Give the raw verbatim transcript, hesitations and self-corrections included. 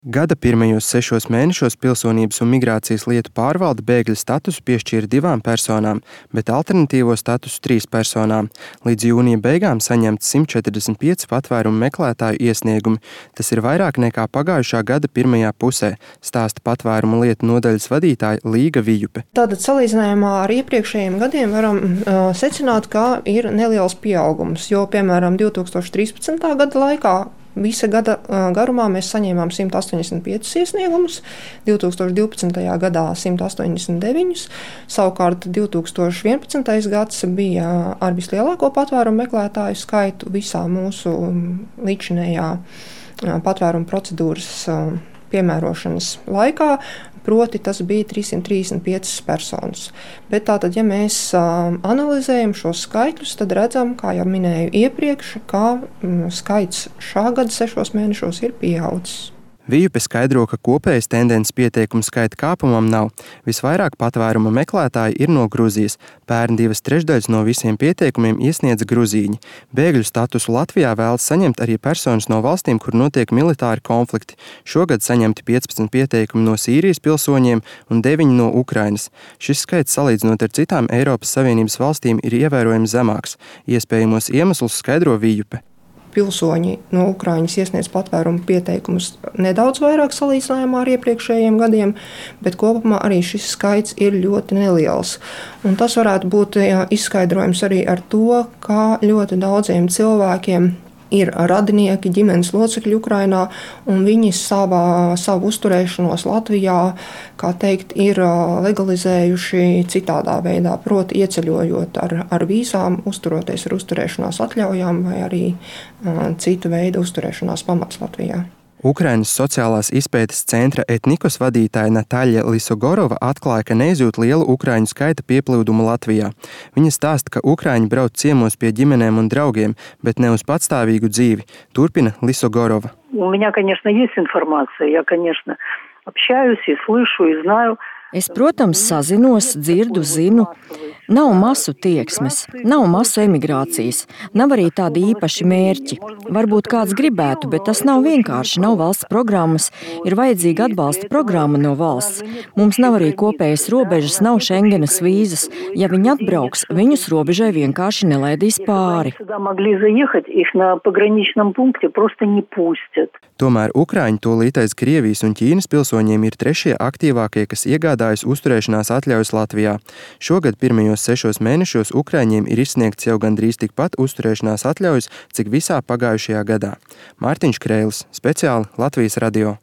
Gada pirmajos sešos mēnešos Pilsonības un migrācijas lietu pārvalde bēgļa statusu piešķīra divām personām, bet alternatīvo statusu trīs personām. Līdz jūnija beigām saņemts simt četrdesmit pieci patvērumu meklētāju iesniegumi. Tas ir vairāk nekā pagājušā gada pirmajā pusē, stāsta patvērumu lietu nodaļas vadītāja Līga Vijupe. Tātad salīdzinājumā ar iepriekšējiem gadiem varam uh, secināt, ka ir neliels pieaugums, jo, piemēram, divi tūkstoši trīspadsmitā gada laikā visa gada garumā mēs saņēmām simt astoņdesmit piecus iesniegumus, divi tūkstoši divpadsmitajā gadā simt astoņdesmit deviņus, savukārt divi tūkstoši vienpadsmitais gads bija ar vislielāko patvērumu meklētāju skaitu visā mūsu līdzinējā patvērumu procedūras piemērošanas laikā. Proti, tas bija trīssimt trīsdesmit piecas personas. Bet tātad, ja mēs uh, analizējam šos skaitļus, tad redzam, kā jau minēju iepriekš, ka mm, skaits šā gada sešos mēnešos ir pieaudzis. Vijupe skaidro, ka kopējas tendences pieteikumu skaita kāpumam nav. Visvairāk patvēruma meklētāji ir no Gruzijas. Pērn divas trešdaļas no visiem pieteikumiem iesniedza gruzīņi. Bēgļu statusu Latvijā vēlas saņemt arī personas no valstīm, kur notiek militāri konflikti. Šogad saņemti piecpadsmit pieteikumi no Sīrijas pilsoņiem un deviņi no Ukrainas. Šis skaits salīdzinot ar citām Eiropas Savienības valstīm ir ievērojami zemāks. Iespējamos iemeslus skaidro Vijupe. Pilsoņi no Ukrainas iesniedz patvērumu pieteikumus nedaudz vairāk salīdzinājumā ar iepriekšējiem gadiem, bet kopumā arī šis skaits ir ļoti neliels. Un tas varētu būt jā, izskaidrojums arī ar to, kā ļoti daudziem cilvēkiem ir radinieki, ģimenes locekļi Ukrainā, un viņi savā, savu uzturēšanos Latvijā, kā teikt, ir legalizējuši citādā veidā, proti ieceļojot ar, ar vīzām, uzturoties ar uzturēšanās atļaujām vai arī uh, citu veidu uzturēšanās pamats Latvijā. Ukrainas sociālās izpētes centra etnikos vadītāja Natāļa Lisogorova atklāja, ka neizjūt lielu ukraiņu skaita pieplūdumu Latvijā. Viņa stāsta, ka ukraiņi brauc ciemos pie ģimenēm un draugiem, bet ne uz patstāvīgu dzīvi. Turpina Lisogorova. У меня, конечно, есть информация. Я, конечно, общаюсь и слышу, и знаю. Es, protams, sazinos, dzirdu, zinu. Nav masu tieksmes, nav masu emigrācijas, nav arī tādi īpaši mērķi. Varbūt kāds gribētu, bet tas nav vienkārši, nav valsts programmas, ir vajadzīga atbalsta programma no valsts. Mums nav arī kopējas robežas, nav Šengenas vīzas. Ja viņi atbrauks, viņus robežai vienkārši nelaidīs pāri. Tomēr Ukraiņi tūlītais Krievijas un Ķīnas pilsoņiem ir trešie aktīvākie, kas iegādājas uzturēšanās atļaujas Latvijā. Šogad pirmajos sešos mēnešos Ukraiņiem ir izsniegts jau gandrīz tikpat uzturēšanās atļaujas, cik visā pagājušajā gadā. Mārtiņš Kreilis, speciāli Latvijas radio.